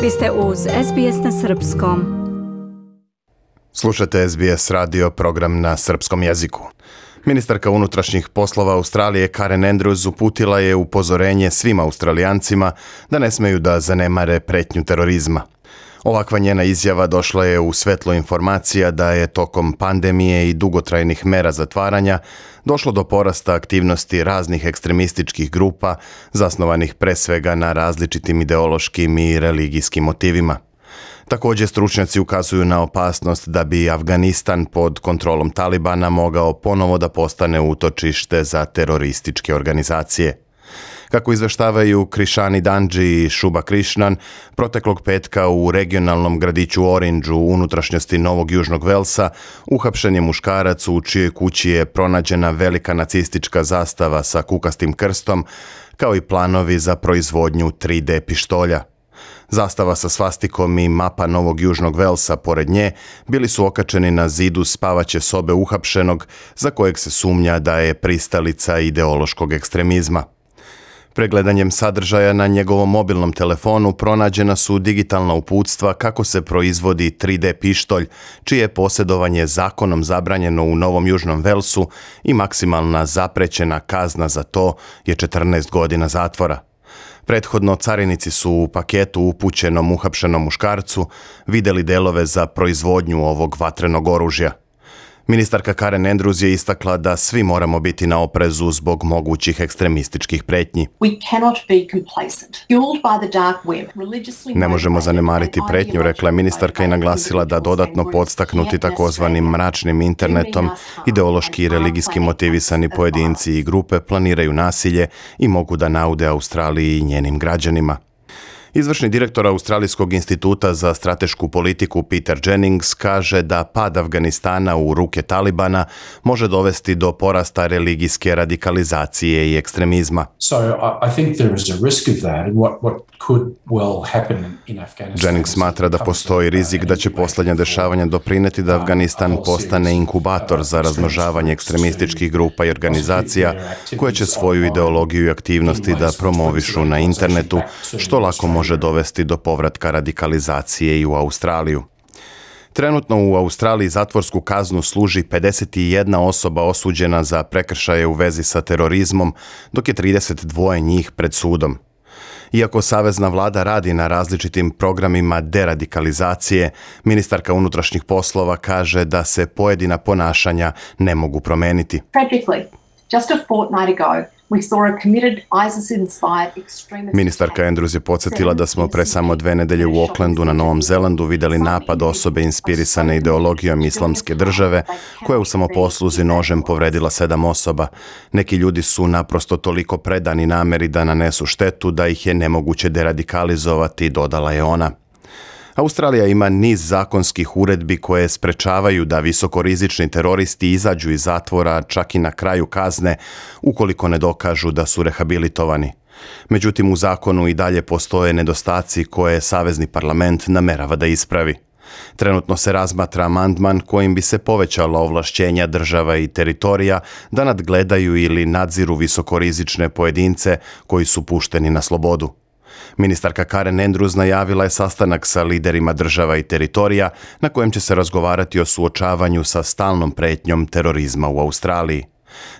Vi ste uz SBS na Srpskom. Slušate SBS radio, program na srpskom jeziku. Ministarka unutrašnjih poslova Australije Karen Andrews uputila je upozorenje svim Australijancima da ne smeju da zanemare pretnju terorizma. Ovakva njena izjava došla je u svetlo informacija da je tokom pandemije i dugotrajnih mera zatvaranja došlo do porasta aktivnosti raznih ekstremističkih grupa zasnovanih pre svega na različitim ideološkim i religijskim motivima. Također stručnjaci ukazuju na opasnost da bi Afganistan pod kontrolom Talibana mogao ponovo da postane utočište za terorističke organizacije. Kako izveštavaju Krishani Danji i Shubha Krishnan, proteklog petka u regionalnom gradiću Orange u unutrašnjosti Novog Južnog Velsa uhapšen je muškarac u čijoj kući je pronađena velika nacistička zastava sa kukastim krstom, kao i planovi za proizvodnju 3D pištolja. Zastava sa svastikom i mapa Novog Južnog Velsa pored nje bili su okačeni na zidu spavaće sobe uhapšenog, za kojeg se sumnja da je pristalica ideološkog ekstremizma. Pregledanjem sadržaja na njegovom mobilnom telefonu pronađena su digitalna uputstva kako se proizvodi 3D pištolj, čije je posjedovanje zakonom zabranjeno u Novom Južnom Velsu i maksimalna zaprećena kazna za to je 14 godina zatvora. Prethodno carinici su u paketu upućenom uhapšenom muškarcu vidjeli delove za proizvodnju ovog vatrenog oružja. Ministarka Karen Andrews je istakla da svi moramo biti na oprezu zbog mogućih ekstremističkih pretnji. Ne možemo zanemariti pretnju, rekla je ministarka i naglasila da dodatno podstaknuti takozvanim mračnim internetom, ideološki i religijski motivisani pojedinci i grupe planiraju nasilje i mogu da naude Australiji i njenim građanima. Izvršni direktor Australijskog instituta za stratešku politiku Peter Jennings kaže da pad Afganistana u ruke Talibana može dovesti do porasta religijske radikalizacije i ekstremizma. Jennings smatra da postoji rizik da će posljednja dešavanja doprineti da Afganistan postane inkubator za razmnožavanje ekstremističkih grupa i organizacija koje će svoju ideologiju i aktivnosti da promovišu na internetu, što lako može dovesti do povratka radikalizacije i u Australiju. Trenutno u Australiji zatvorsku kaznu služi 51 osoba osuđena za prekršaje u vezi sa terorizmom, dok je 32 njih pred sudom. Iako savezna vlada radi na različitim programima deradikalizacije, ministarka unutrašnjih poslova kaže da se pojedina ponašanja ne mogu promeniti. Ministarka Andrews je podsjetila da smo pre samo 2 nedelje u Aucklandu na Novom Zelandu vidjeli napad osobe inspirisane ideologijom islamske države koja je u samoposluzi nožem povredila 7 osoba. Neki ljudi su naprosto toliko predani nameri da nanesu štetu da ih je nemoguće deradikalizovati, dodala je ona. Australija ima niz zakonskih uredbi koje sprečavaju da visokorizični teroristi izađu iz zatvora čak i na kraju kazne ukoliko ne dokažu da su rehabilitovani. Međutim, u zakonu i dalje postoje nedostaci koje savezni parlament namerava da ispravi. Trenutno se razmatra amandman kojim bi se povećala ovlašćenja država i teritorija da nadgledaju ili nadziru visokorizične pojedince koji su pušteni na slobodu. Ministarka Karen Andrews najavila je sastanak sa liderima država i teritorija na kojem će se razgovarati o suočavanju sa stalnom pretnjom terorizma u Australiji.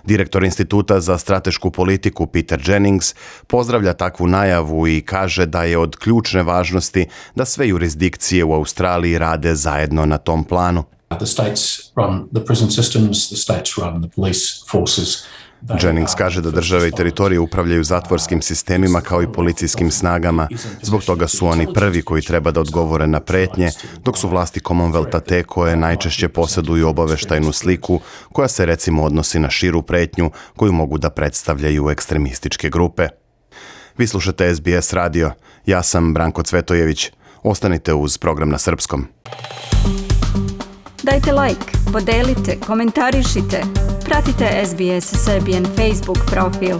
Direktor Instituta za stratešku politiku Peter Jennings pozdravlja takvu najavu i kaže da je od ključne važnosti da sve jurisdikcije u Australiji rade zajedno na tom planu. The states run the prison systems, the states run the police forces. Jennings kaže da države i teritorije upravljaju zatvorskim sistemima kao i policijskim snagama. Zbog toga su oni prvi koji treba da odgovore na pretnje, dok su vlasti Commonwealtha te koje najčešće posjeduju obaveštajnu sliku koja se recimo odnosi na širu pretnju koju mogu da predstavljaju ekstremističke grupe. Vi slušate SBS radio. Ja sam Branko Cvetojević. Ostanite uz program na srpskom. Dajte like, podelite, komentarišite. Pratite SBS Serbian Facebook profil.